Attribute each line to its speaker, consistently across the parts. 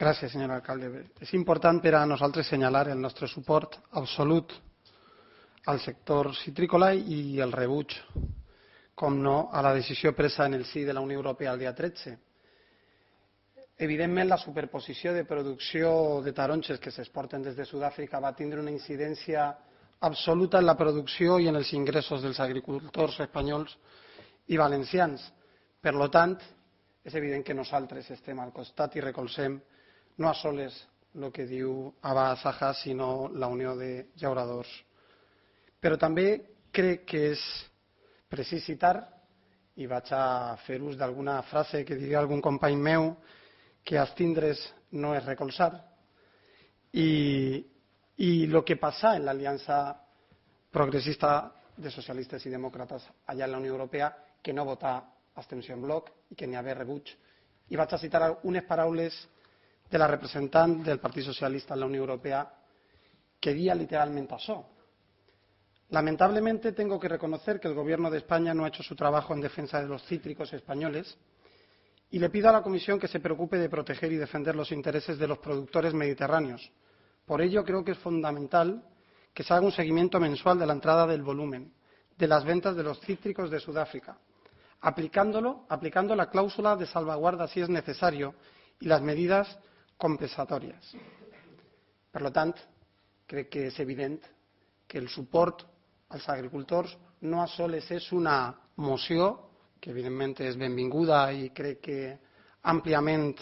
Speaker 1: Gràcies, senyor alcalde. És important per a nosaltres assenyalar el nostre suport absolut al sector citrícola i el rebuig, com no, a la decisió presa en el si de la Unió Europea el dia 13. Evidentment, la superposició de producció de taronges que s'exporten des de Sud-àfrica va tindre una incidència absoluta en la producció i en els ingressos dels agricultors espanyols i valencians. Per tant, és evident que nosaltres estem al costat i recolzem no a soles el que diu Abba Saja, sinó la Unió de Llauradors. Però també crec que és precís citar, i vaig a fer ús d'alguna frase que diria algun company meu, que abstindre's no és recolzar. I el que passa en l'aliança progressista de socialistes i demòcrates allà en la Unió Europea, que no votar abstenció en bloc i que n'hi haver rebuig. I vaig a citar unes paraules de la representant del Partit Socialista en la Unió Europea que dia literalment això. Lamentablemente tengo que reconocer que el Gobierno de España no ha hecho su trabajo en defensa de los cítricos españoles y le pido a la Comisión que se preocupe de proteger y defender los intereses de los productores mediterráneos. Por ello, creo que es fundamental que se haga un seguimiento mensual de la entrada del volumen de las ventas de los cítricos de Sudáfrica, aplicando la cláusula de salvaguarda si es necesario y las medidas compensatorias. Per tant, crec que és evident que el suport als agricultors no a soles és una moció, que evidentment és benvinguda i crec que àmpliament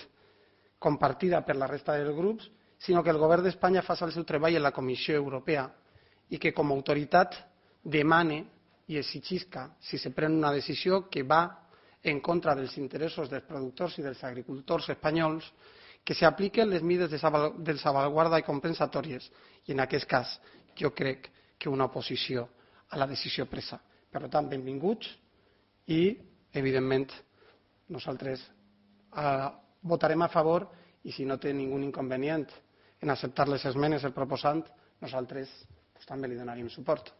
Speaker 1: compartida per la resta dels grups, sinó que el govern d'Espanya faci el seu treball en la Comissió Europea i que com a autoritat demane i exigisca, si se pren una decisió que va en contra dels interessos dels productors i dels agricultors espanyols, que s'apliquen les mesures de salvaguarda i compensatòries, i en aquest cas jo crec que una oposició a la decisió presa. Per tant, benvinguts i, evidentment, nosaltres votarem a favor i si no té ningú inconvenient en acceptar les esmenes del proposant, nosaltres també li donaríem suport.